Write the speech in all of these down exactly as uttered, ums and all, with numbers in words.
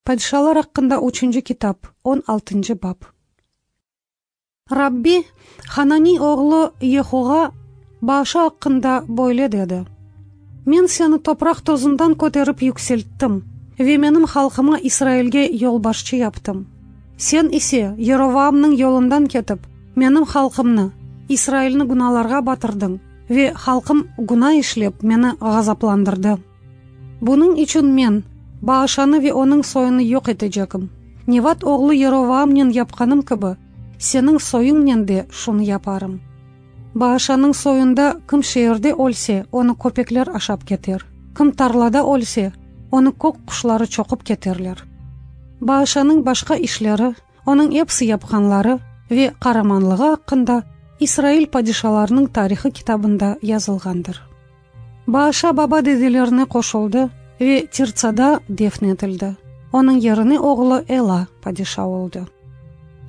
Padişalar aqqında üçünci kitap, on altıncı bap. Rabbi Hananiy oğlu Yehuğa Baaşa aqqında böyle dedi: Men seni topraq tozundan köterip yükselttim ve menim halqıma İsrailge yolbaşçı yaptım. Sen ise Yerovaamnıñ yolundan ketip, menim halqımnı, İsrailni günalarğa batırdıñ ve halqım güna işlep meni ğazaplandırdı. Bunıñ içün men Baaşanı ve onıñ soyunı yoq etecegim. Nevat oğlu Yerovaamnen yapqanım kibi, seniñ soyuñnen de şunı yaparım. Baaşanıñ soyunda kim şeerde ölse, onı köpekler aşap keter. Kim tarlada ölse, onı kök quşları çoqup keterler. Baaşanıñ başqa işleri, onıñ episi yapqanları ve qaramanlığı aqqında İsrail padişalarınıñ tarihı kitabında yazılğandır. Baaşa baba-dedelerine qoşuldı ve Tirtsada defn etildi. Onıñ yerine oğlu Ela padişa oldı.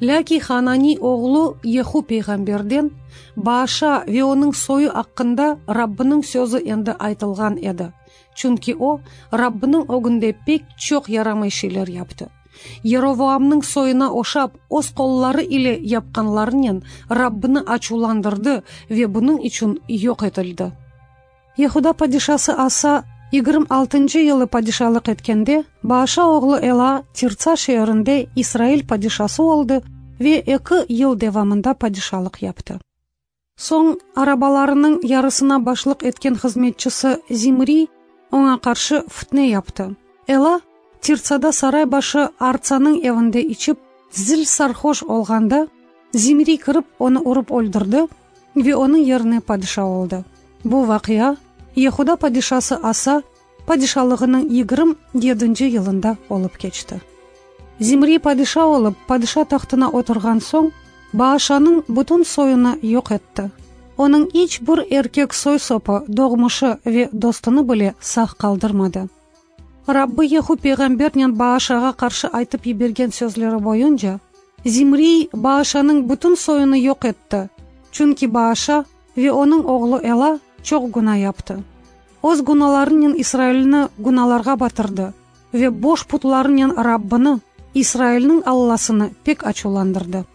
Lâkin Hananiy oğlu Yehu peyğamberden Baaşa ve onıñ soyu aqqında Rabbiniñ sözü endi aytılğan edi. Çünki o, Rabbiniñ ögünde pek çoq yaramay şeyler yaptı. Yerovaamnıñ soyuna oşap, öz qolları ile yapqanlarınen Rabbini açuvlandırdı ve bunıñ içün yoq etildi. Yehuda padişası Asa yigirmi altıncı yılı padişalıq etkende, Baaşa oğlu Ela Tirtsa şeerinde İsrail padişası oldı ve eki yıl devamında padişalıq yaptı. Soñ arabalarınıñ yarısına başlıq etken hızmetçisi Zimriy oña qarşı fitne yaptı. Ela Tirtsada saray başı Artsanıñ evinde içip, zil sarhoş olğanda, Zimriy kirip onı urıp öldürdi ve onıñ yerine padişa oldı. Bu vaqia Yehuda padişası Asa padişalığınıñ yigirmi yedinci yılında olıp keçti. Zimriy padişa olıp, padişa tahtına oturğan soñ, Baaşanıñ bütün soyunı yoq etti. Onıñ iç bir erkek soy-sopı, doğmuşı ve dostunı bile sağ qaldırmadı. Rabbi Yehu peyğambernen Baaşağa qarşı aytıp yibergen sözleri boyunca, Zimriy Baaşanıñ bütün soyunı yoq etti, çünki Baaşa ve onıñ oğlu Ela çoq güna yaptı. Öz günalarınen İsrailni günalarğa batırdı ve boş putlarınen Rabbini, İsrailniñ Allasını pek açuvlandırdı.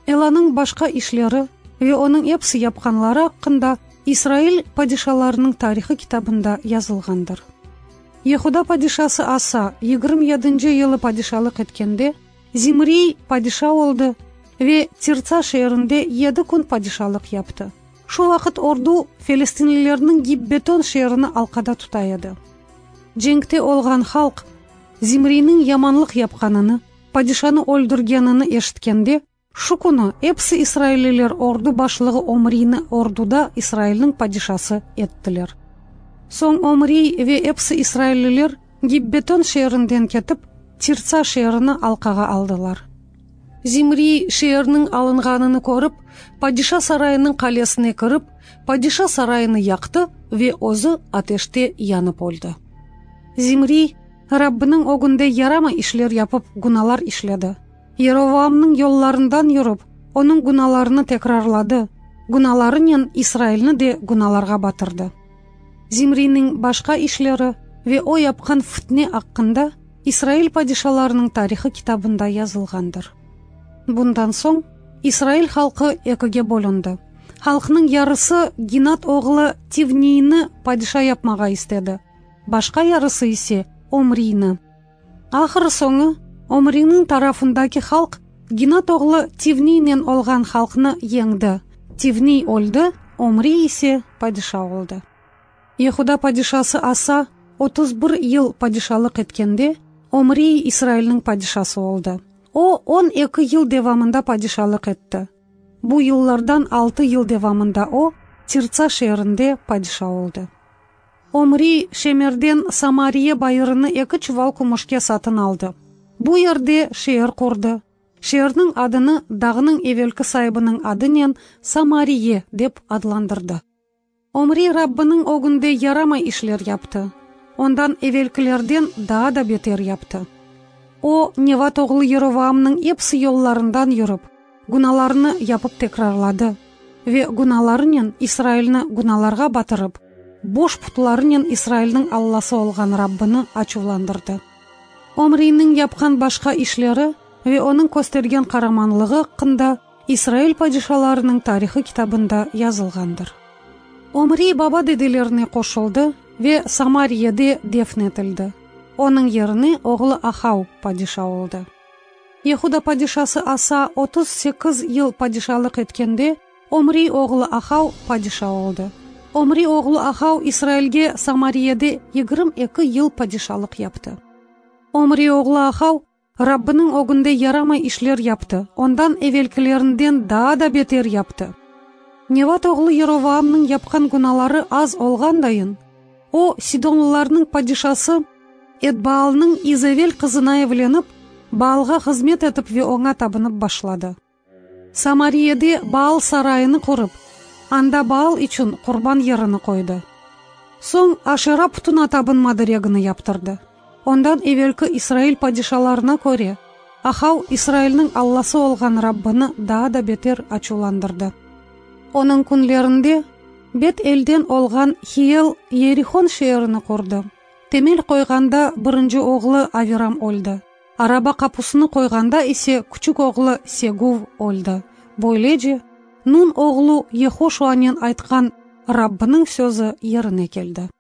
Elanıñ başqa işleri ve onıñ episi yapqanları aqqında İsrail padişalarınıñ tarihı kitabında yazılğandır. Yehuda padişası Asa yigirmi yedinci yılı padişalıq etkende, Zimriy padişa oldı ve Tirtsa şeerinde yedi kün padişalıq yaptı. Şu vaqıt ordu felestinlilerniñ Gibbeton şeerini alqada tuta edi. Cenkte olğan halq Zimriyniñ yamanlıq yapqanını, padişanı öldürgenini eşitkende, şu künü episi israilliler ordu başlığı Omriyni orduda İsrailniñ padişası ettiler. Soñ Omriy ve episi israilliler Gibbeton şeerinden ketip, Tirtsa şeerini alqağa aldılar. Zimriy şeerniñ alınğanını körip, padişa sarayınıñ qalesine kirip, padişa sarayını yaqtı ve özü ateşte yanıp öldi. Zimriy Rabbiniñ ögünde yaramay işler yapıp, günalar işledi. Yerovaamnıñ yollarından yürip, onıñ günalarını tekrarladı, günalarınen İsrailni de günalarğa batırdı. Zimriyniñ başqa işleri ve o yapqan fitne aqqında İsrail padişalarınıñ tarihı kitabında yazılğandır. Bundan soñ İsrail halqı ekige bölündi. Halqnıñ yarısı Ginat oğlu Tivniyni padişa yapmağa istedi, başqa yarısı ise Omriyni. Ahır soñu Omriyniñ tarafındaki halq Ginat oğlu Tivniynen olğan halqnı yeñdi. Tivniy öldi, Omriy ise padişa oldı. Yehuda padişası Asa otuz bir yıl padişalıq etkende, Omriy İsrailniñ padişası oldı. O, on eki yıl devamında padişalıq etti. Bu yıllardan altı yıl devamında o, Tirtsa şeerinde padişa oldı. Omriy Şemerden Samariye bayırını eki çuval kümüşke satın aldı. Bu yerde şeer qurdı. Şeerniñ adını dağnıñ evelki saibiniñ adınen Samariye dep adlandırdı. Omriy Rabbiniñ ögünde yaramay işler yaptı. Ondan evelkilerden daa da beter yaptı. O, Nevat oğlu Yerovaamnıñ episi yollarından yürip, günalarını yapıp tekrarladı ve günalarınen İsrailni günalarğa batırıp, boş putlarınen İsrailniñ Allası olğan Rabbini açuvlandırdı. Omriyniñ yapqan başqa işleri ve onıñ köstergen qaramanlığı aqqında İsrail padişalarınıñ tarihı kitabında yazılğandır. Omriy baba-dedelerine qoşuldı ve Samariyede defn etildi. Onıñ yerine oğlu Ahav padişa oldı. Yehuda padişası Asa otuz sekiz yıl padişalıq etkende, Omriy oğlu Ahav padişa oldı. Omriy oğlu Ahav İsrailge Samariyede yigirmi eki yıl padişalıq yaptı. Omriy oğlu Ahav Rabbiniñ ögünde yaramay işler yaptı, ondan evelkilerinden daa da beter yaptı. Nevat oğlu Yerovaamnıñ yapqan günaları az olğandayın, o, Sidonlılarnıñ padişası Etbaalnıñ İzevel qızına evlenip, Baalğa hızmet etip ve oña tabınıp başladı. Samariyede Baal sarayını qurıp, anda Baal içün qurban yerini qoydı. Soñ Aşera putuna tabınma diregini yaptırdı. Ondan evelki İsrail padişalarına köre, Ahav İsrailniñ Allası olğan Rabbini daa da beter açuvlandırdı. Onıñ künlerinde Bet-Elden olğan Hiel Yerihon şeerini qurdı. Temel qoyğanda birinci oğlu Aviram öldi. Araba qapusını qoyğanda ise küçük oğlu Seguv öldi. Böylece, Nun oğlu Yehoşuanen aytqan Rabbiniñ sözü yerine keldi.